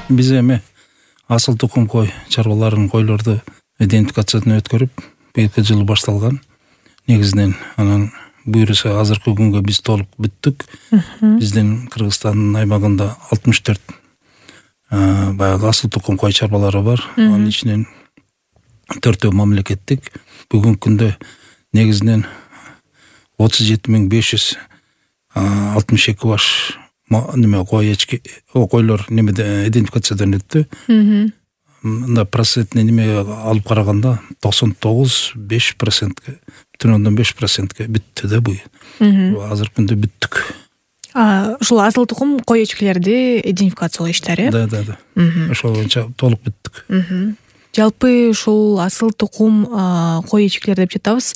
Биз эми асыл тукум кой чарбаларын койлорду идентификациядан өткөрүп быйылкы жылы башталган. Негизинен анан буюрса азыркы күнгө биз толук бүттүк. Биздин Кыргызстандын аймагында 64 баягы асыл тукум кой чарбалары бар. Анын ичинен 4 мамлекеттик. Бүгүнкү күндө негизинен 37.562 баш койлор немеде идентификациядан өттү. Мында процентне неме алып караганда 99,5%, 5%ге бүттү да бу. Азыркы күндө бүттүк. Ушул асыл тукум кой эчкилерди идентификациялоо иштери. Да. Ошол боюнча толук бүттүк. Жалпы ушул асыл тукум кой эчкилер деп жатабыз.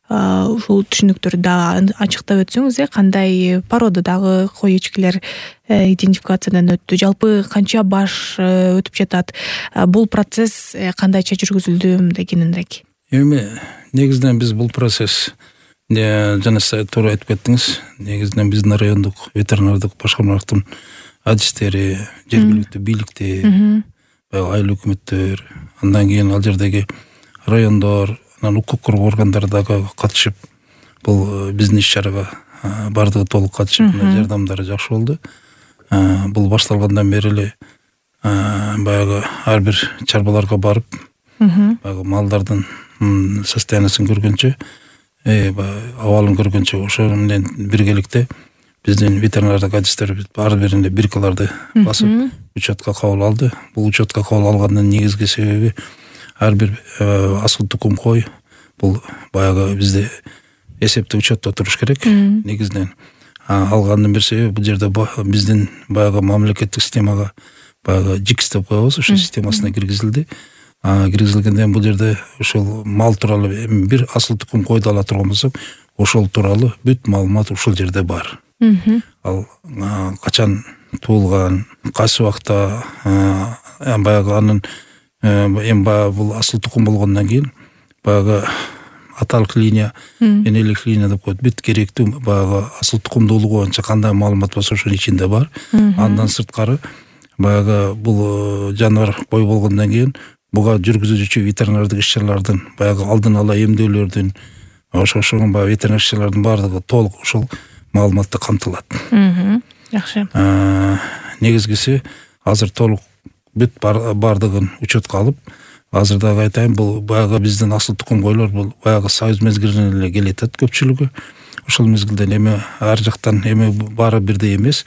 Ушул түшүнүктөрдү дагы ачыктап өтсөңүз, кандай породадагы кой эчкилер идентификациядан өттү? Жалпы канча баш өтүп жатат? Бул процесс кандайча жүргүзүлдү дегенинирээк? Эми негизинен биз бул процесс жана сиз туура айтып кеттиңиз. Негизинен биздин райондук ветеринардык башкармалыктын адистери, жергиликтүү бийликти, айыл өкмөттөр, андан кийин ал жердеги райондор, анан укук коргоо органдары дагы катышып, бул биздин иш-чарага бардыгы толук катышып, жардамдары жакшы болду. Бул башталгандан бери эле баягы ар бир чарбаларга барып, баягы малдардын состояниясын көргөнчө, абалын көргөнчө, ошо менен биргеликте биздин ветеринардык адистер ар биринде биркаларды басып учетка кабыл алды. Бул учетка кабыл алгандын негизги себеби ар бир асыл тукум кой бул баягы бизде эсепте учетто туруш керек. Негизинен алгандын бир себеби бул жерде биздин баягы мамлекеттик системага баягы ЖИКС деп коебуз, ошол системасына киргизилди. Киргизилгенден бул жерде ошол мал тууралуу бир асыл тукум койду ала турган болсок, ошол тууралуу бүт маалымат ушул жерде бар. Ал качан туулган, кайсы убакта баягы анын эми баягы бул асыл тукум болгондон кийин баягы аталык линия, энелик линия деп коет. Бүт керектүү баягы асыл тукумдуулугу боюнча кандай маалымат болсо ошонун ичинде бар. Андан сырткары баягы бул жаныбар кой болгондон кийин буга жүргүзүүчү ветеринардык иш-чаралардын баягы алдын ала эмдөөлөрдүн ошого баягы ветеринардык иш-чаралардын баардыгы толук ушул маалыматта камтылат. Жакшы. Негизгиси азыр толук бүт баардыгын учетко алып, азыр дагы айтайын, бул баягы биздин асыл тукум койлор бул баягы союз мезгилинен эле келет көпчүлүгү. Ошол мезгилден эми ар жактан эми баары бирдей эмес.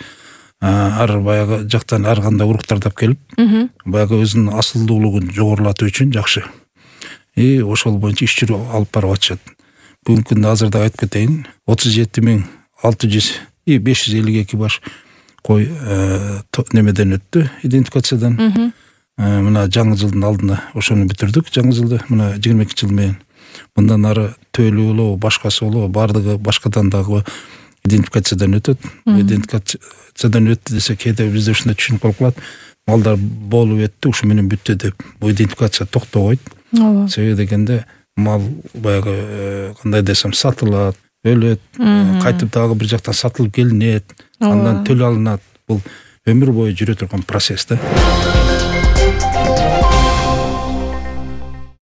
Ар баягы жактан ар кандай уруктар тап келип, баягы өзүнүн асылдуулугун жогорулатуу үчүн жакшы. Ошол боюнча иш жүрүп алып барып атышат. Бүгүнкү күндө азыр да айтып кетейин, 37.552 баш кой немеден өттү, идентификациядан. Мына жаңы жылдын алдында ошону бүтүрдүк. Жаңы жылды мына 22 жыл менен. Мындан ары төөлүү болобу, башкасы болобу, баардыгы башкадан дагы идентификациядан өтөт. Идентификациядан өттү десе кээде бизде ушундай түшүнүп калып калат. Малдар болуп өттү, ушу менен бүттү деп. Бул идентификация токтобойт. Себеби дегенде мал баягы кандай десем сатылат, өлөт, кайтып дагы бир жактан сатылып келинет, андан төлөй алынат. Бул өмүр бою жүрө турган процесс да.